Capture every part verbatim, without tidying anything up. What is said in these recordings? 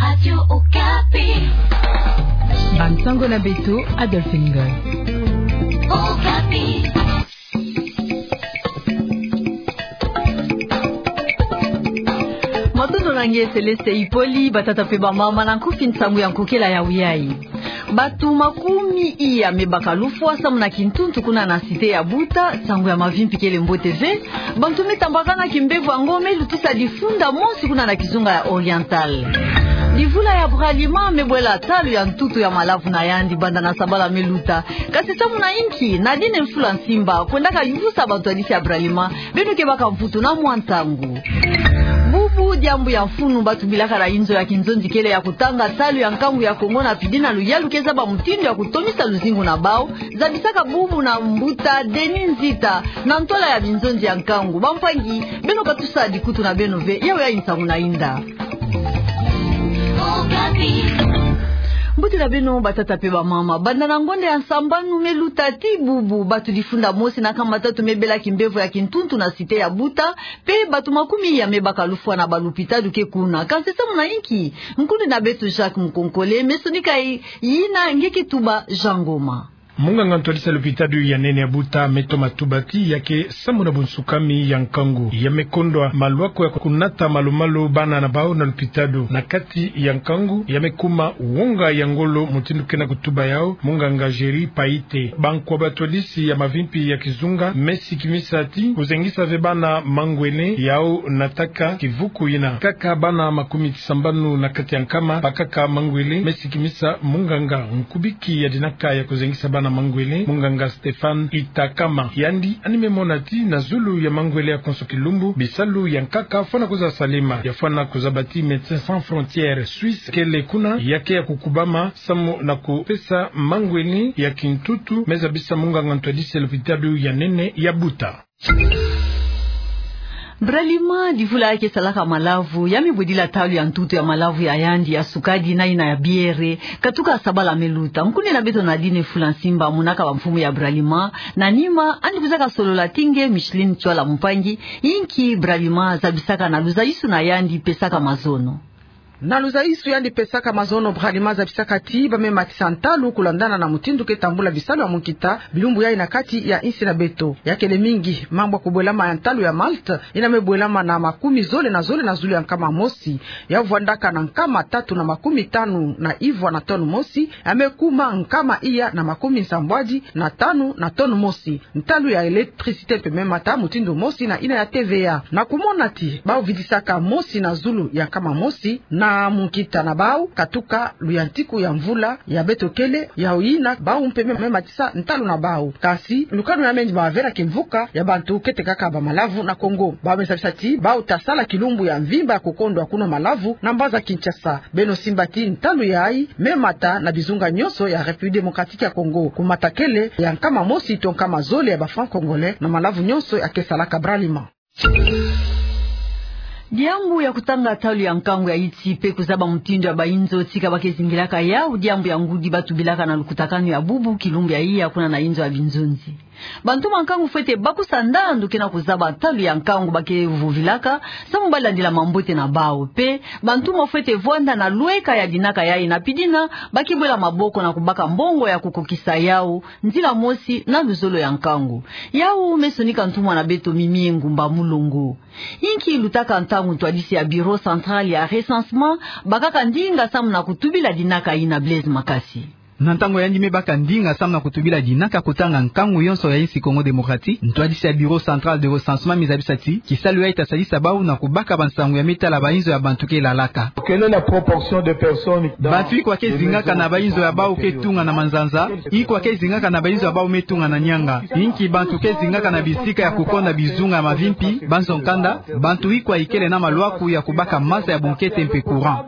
Radio Okapi. Bansango na beto, Adolphe Ngoy. Okapi. Matondo na nge Céleste Ipoli, batata pe bamama, na nkufi nsangu ya nkokela ya wiyai. Bato makumi iya me baka lufwa samu na kintuntu kuna na cité ya Buta, nsangu ya mavimpi kele mbote ve. Bantu me tambakana kimbevo yango me lutisa difunda mosi kuna na kizunga ya Oriental. Divula ya Bralima me bwela talu ya ntutu ya malavu na yandi banda na sabala me luta. Kasi samu na inki, Nadine Mfula Nsimba, kwendaka yuvusa bantu ya disi ya Bralima, beno ke baka mvutu na mwa ntangu. Bubu, diambu ya mfunu, batu bilaka na inzo ya kinzonzi kele ya kutanga talu ya nkangu ya Kongo na pidi na luyalu ke zaba mutindu ya kutomisa luzingu na bau, zabisaka bubu na mbuta Denis Nzita, na ntwala ya binzonzi ya nkangu. Bampangi, beno katusa dikutu na beno ve, yawe ya nsangu na inda. Mbote na beno batata pe bamama, banda na ngonda ya nsambanu me luta tii bubu, batu difunda mosi na nkama tatu me bela kimbevo ya kintuntu na cité ya Buta, pe batu makumi iya me baka lufwa na balupitalu ke kuna. Kansi samu na inki, nkundi na beto Jacques Mukonkole me sonika yina nge ke tuba Jean Ngoma. Munganga ntwadisi ya lupitalu ya nene ya Buta me toma tuba ti ya ke samu na bunsukami ya nkangu. Ya me kondwa malwako ya kunata malu-malu bana na bau na lupitalu. Na kati ya nkangu, ya me kuma wonga ya ngolo, mutindu ke na kutuba yau munganga Géry Paite. Bankwa batwadisi ya mavimpi ya kizunga me sikimisa ti kuzengisa ve bana mangwele yau nataka kivuku yina. Kaka bana makumi tisambanu na kati ya nkama bakaka mangwele, me sikimisa munganga. Nkubiki ya dinaka ya kuzengisa bana mangwele, munganga Stéphane Itakama, yandi yandi me mona ti na zulu ya mangwele ya konso kilumbu, bisalu ya nkaka fwana kwiza salema. Ya fwana kuzaba ti Médecins Sans Frontières Suisse kele kuna, ya ke ya kukubama samu na kupesa mangwele ya kintutu, me zabisa munganga ntwadisi ya lupitalu ya nene ya Buta. Bralima, divula ya ke salaka malavu, ya me bwedila talu ya ntutu ya malavu ya yandi ya sukadi na yina ya biere, katuka sabala me luta. Nkundi na beto Nadine Mfula Nsimba, monaka bamfumu ya Bralima, na nima, yandi kwizaka solola ti nge Micheline Tswala Mpangi, inki Bralima zabisaka na luzaisu na yandi pesaka mazono. Na luzaisu yandi pesaka mazono, Bralima zabisaka ti ba me matisa ntalu kulandana na mutindu ke tambula bisalu ya munkita bilumbu yai na kati ya insi na beto. Ya kele mingi mambu ya kubwelama ya ntalu ya malt, yina me bwelama na makumi zole na zole na zulu ya nkama mosi, ya vwandaka na nkama tatu na makumi tanu na ivwa na tonne mosi, ya me kuma nkama iya na makumi nsambwadi na tanu na tonne mosi. Ntalu ya électricité mpe me mata mutindu mosi na yina ya T V A. Na kumona ti bau vidisaka mosi na zulu ya nkama mosi na munkita na bau, katuka luyantiku ya mvula ya beto kele, yau yina bau mpe me, me matisa ntalu na bau. Kasi lukanu ya mengi bavela kimvuka ya bantu kete kaka bamalavu na Congo. Bau me zabisa ti bau ta sala kilumbu ya mvimba ya kukondwa kunwa malavu na mbanza Kinshasa. Beno simba ti ntalu yai me mata na bizunga nyonso ya République Démocratique ya Congo. Kumata kele ya nkama mosi to nkama zole ya ba francs congolais na malavu nyonso ya ke salaka Bralima. Diambu ya kutanga talu ya nkangu ya iti mpe kuzaba mutindu ya bainzo tika ba ke zingilaka yau, diambu ya ngudi batu bilaka na lukutakanu ya bubu kilumbu ya iya kuna na inzo ya binzonzi. Bantu ba nkangu fwete bakusa ndandu ke na kuzaba talu ya nkangu ba ke vuvilaka, samu ba landila mambote na bau. Mpe bantu mo fwete vwanda na lweka ya dinaka yai na pidina, ba ke bwela maboko na kubaka mbongo ya kukokisa yau, nzila mosi na luzolo ya nkangu. Yau me sonika ntumwa na beto Mimie Ngumba Mulongo. Inki lutaka ntangu ntwadisi ya Bureau Central ya Recensement bakaka ndinga samu na kutubila dinaka yina, Blaise Makasi? Na ntangu yandi me baka ndinga samu na kutubila dinaka kutanga nkangu yonso ya insi Congo Démocratique, ntwadisi ya Bureau Central de Recensement me zabisa ti kisalu yai ta salisa bau na kubaka bansangu ya me tala bainzo ya bantu ke lalaka. Quelle est la proportion de personnes dans... Bantu ikwa ke zingaka na bainzo ya bau ke tunga na manzanza? Ikwa ke zingaka na bainzo ya bau me tunga na nianga? Inki bantu ke zingaka na bisika ya kukonda bizunga ya mavimpi, banzo nkanda? Bantu ikwa ikele na malwaku ya kubaka maza ya bunkete mpe courant?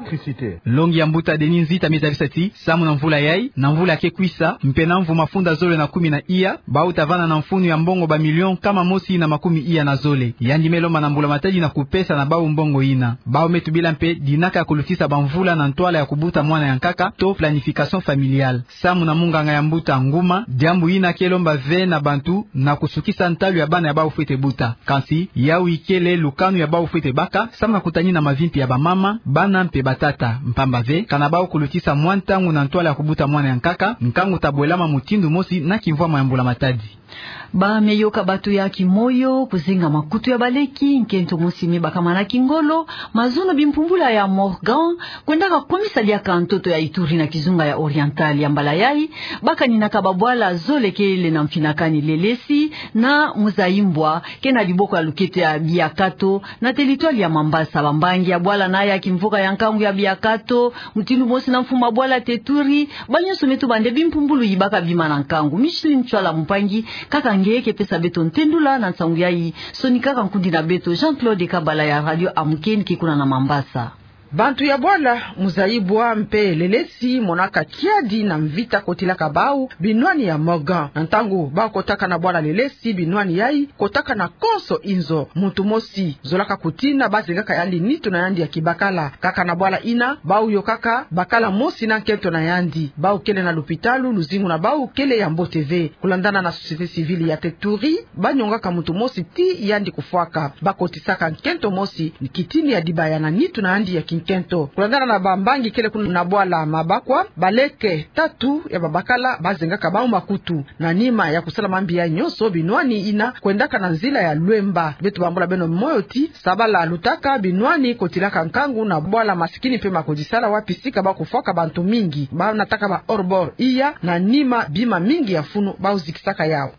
Longi ya mbuta Denis Nzita me zabisa ti samu na mvula yai, Na mvula ke kwisa, mpe na mvu mafunda zole na kumi na iya, bau ta vanda na mfunu ya mbongo ba million nkama mosi na makumi iya na zole. Yandi me lomba na mbula matadi na kupesa na bau mbongo ina. Bau me tubila mpe dinaka ya kulutisa bamvula na ntwala ya kubuta mwana ya nkaka, to planification familiale. Samu na munganga ya mbuta Nguma, diambu ina ke lomba ve na bantu na kusukisa ntalu ya bana ya bau fwete buta. Kansi, yau ikele lukanu ya bau fwete baka, samu na kutani na mavimpi ya bamama, bana mpe batata. Mpamba ve, kana bau kulutisa mwa ntangu na ntwala ya kubuta mwana ya nkaka, nkangu ta bwelama mutindu mosi na kimvwama ya mbula matadi. Ba me yoka bato ya kimoyo, kuzenga makutu ya baleki, nkento mosi me bakama na kingolo, mazono bimpumbula ya Morgan, kwendaka kumisa diaka ntoto ya Ituri na kizunga ya Oriental ya mbala yai, bakaninaka babwala zole kele na mfinakani Lelesi na Muzayimbwa, ke na diboko ya luketo ya Biakato, na teritware ya Mambasa. Bambangi ya bwala na ya kimvuka ya nkangu ya Biakato, mutindu mosi na mfumu ya bwala Teturi, banyonso me tuba nde bimpumbulu yibaka bima na nkangu. Micheline Ntsoila Mpangi, kaka nge ke pesa beto ntendula na nsangu yai, sonika ka nkundi na beto Jean-Claude Kabala ya Radio Amkeni ke kuna na Mambasa. Bantu ya bwala Muzayimbwa mpe Lelesi monaka kiadi na mvita kotilaka bau binwani ya Morgan. Na ntangu bau kotaka na bwala Lelesi, binwani yai kotaka na konso inzo. Muntu mosi zolaka kutina, bazengaka yandi nitu na yandi ya kibakala. Kaka na bwala ina, bau yokaka bakala mosi na nkento na yandi. Bau kele na lupitalu, luzingu na bau kele ya mbote ve. Kulandana na société civile ya Teturi, banyongaka muntu mosi tii yandi kufwaka. Bakotisaka nkento mosi kitini ya dibaya na nitu na yandi ya kinkento. Kulandana na bambangi kele kuna na bwala Mabakwa, baleke tatu ya babakala bazengaka bau makutu. Na nima ya kusala mambi yai nyonso, binwani ina kwendaka na nzila ya Luemba. Beto bambula beno moyo ti sabala lutaka, binwani kotilaka nkangu na bwala Masikini mpe Makodisala, wapi sika bau kufwaka bantu mingi. Bau nataka ba hors-bord iya, na nima bima mingi ya funu bau zikisaka yau.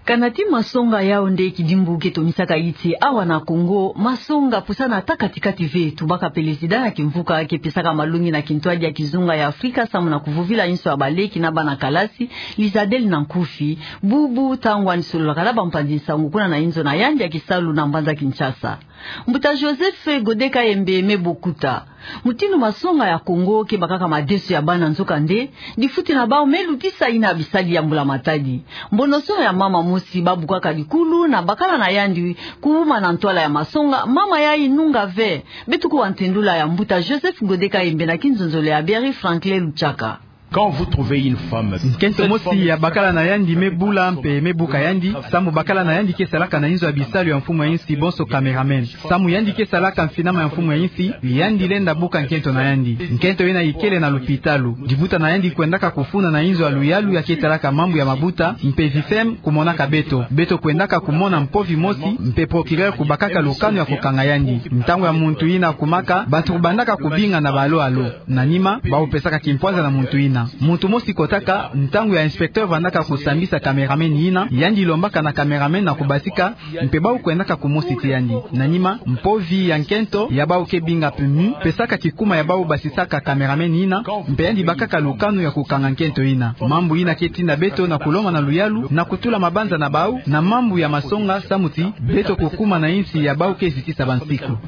Kana ti masonga yau nde kidimbu ke tomisaka iti awa na Kongo, masonga pusana ata kati-kati ve. Tubaka président ya kimvuka ke pesaka malongi na kintwadi ya kizunga ya Afrika samu na kuvovila inso ya baleki na bana kalasi, Lizadel Nankufi, bubu ntangu yandi sololaka na bampanzi nsangu kuna na inzo na yandi ya kisalu na mbanza Kinshasa. Mbuta Joseph Gode Kayembe me bokuta mutindu masonga ya Kongo ke bakaka madeso ya bana, nzokande difuti na bau me lutisa ina bisali ya mbula matadi. Mbonoso ya mama mosi babukaka dikulu na bakala na yandi kuwuma na ntwala ya masonga, mama yai nunga ve. Beto kuwa ntendula ya Mbuta Joseph Gode Kayembe na kinzonzolo ya Berry Franklin Luchaka. Quand vous trouvez une femme, nkento mosi ya bakala na yandi me bula mpe me buka yandi, samu bakala na yandi ke salaka na inzo ya bisalu ya mfumu ya insi, bonso cameraman. Samu yandi ke salaka mfinama ya mfumu ya insi, yandi lenda buka nkento na yandi. Nkento ina ikele na lupitalu. Dibuta na yandi kwendaka kufunda na inzo ya luyalu ya ke talaka mambu ya mabuta, mpe VIFEM kumonaka beto. Beto kwendaka kumona mpovi mosi, mpe procureur kubakaka lukanu ya kukanga yandi. Ntangu ya muntu ina kumaka, bantu kubandaka kubinga na ba allô allô. Na nima, bau pesaka kimpwanza na muntu ina. Muntu mosi kotaka, ntangu ya inspecteur vandaka kusambisa cameraman ina, yandi lombaka na cameraman na kubasika, mpe bau kwendaka kumosi ti yandi. Na nima, mpovi ya nkento ya bau ke binga PMU pesaka kikuma ya bau basisaka cameraman ina, mpe yandi bakaka lukanu ya kukanga nkento ina. Mambu ina ke tinda beto na kulomba na luyalu na kutula mabanza na bau na mambu ya masonga, samu ti beto kukuma na insi ya bau ke zitisa bansiku.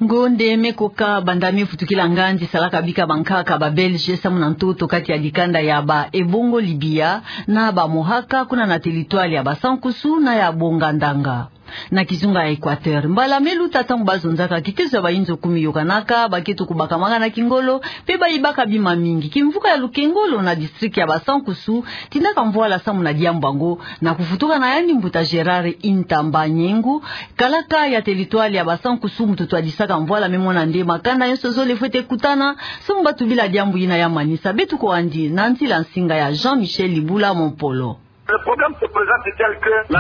Ngonde me koka banda me futukila nganzi, salaka bika bankaka ba Belge samu na ntoto kati ya dikanda ya ba Ebongo Libia na ba Mohaka kuna na teritware ya Basankusu na ya Bongandanga, na kizunga ya Equateur. Mbala me luta, ntangu bazonzaka kitezo ya bainzo kumi yokanaka, baketo kubakamaka na kingolo, mpe bayibaka bima mingi. Kimvuka ya Lukengolo na district ya Basankusu tindaka mvwala samu na diambu yango, na kuvutuka na yandi mbuta Gérard Intamba Nyengu, kalaka ya teritware ya Basankusu, muntu twadisaka mvwala, me mona nde makanda nyonso zole fwete kutana samu batubila diambu ina ya manisa. Beto kuwa yandi na nzila nsinga ya Jean-Michel Libula Mompolo.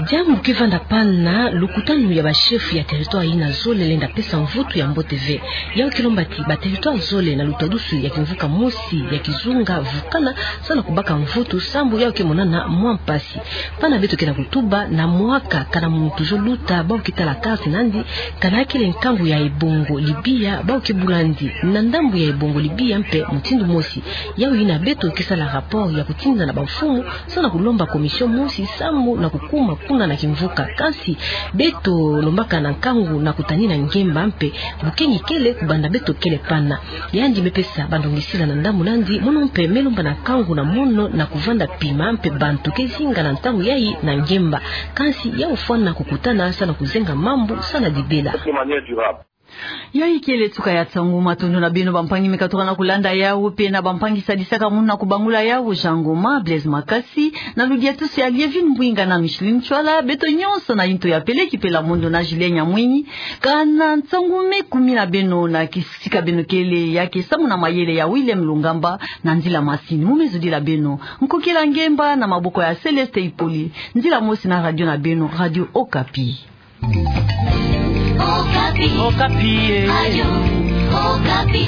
Diambu ke vanda pana, lukutanu ya ba chef ya teritware ina zole lenda pesa mvutu ya mbote ve. Yau ke lomba ti ba teritware zole na lutwadusu ya kimvuka mosi ya kizunga vukana, samu na kubaka mvutu, sambu yau ke monana mwa mpasi. Pana beto ke na kutuba na mwaka, kana muntu zo luta, bau ke tala carte na yandi, kana kele nkangu ya Ebongo Libia, bau ke bula yandi na ndambu ya Ebongo Libia mpe mutindu mosi. Yau ina beto ke sala rapport ya kutinda na bamfumu, samu na kulomba commission mosi samu na kukuma kuna na kimvuka. Kansi beto lombaka na nkangu na kutanina ngemba mpe bukeni kele kubanda beto kele pana. Yandi me pesa bandongisila na ndambu nandi, mono mpe me lomba na nkangu na mono na kuvanda pima mpe bantu ke zinga na ntangu yayi na ngemba. Kansi ya ofwana kukutana sa na kuzenga mambu sa na dibela. Yayi kele suka ya nsangu. Matondo na beno bampangi me katuka na kulanda yawu, mpe na bampangi sadisaka munu na kubangula yawu, Jean Ngoma, Blaise Makasi, na ludiatusu ya Lievine Mbwinga na Micheline Ntsoala, beto nyonso na intu ya Peleki Pela Mondo na Julien Nyamwini. Kana nsangu me kumi na beno na kisika beno kele, ya ke samu na mayele ya William Lungamba, na nzila masini. Mu me zudila beno, nkokila ngemba na maboko ya Céleste Ipoli. Nzila mosi na radio na beno, Radio Okapi. Okapi. Okapi, eh. Radio Okapi.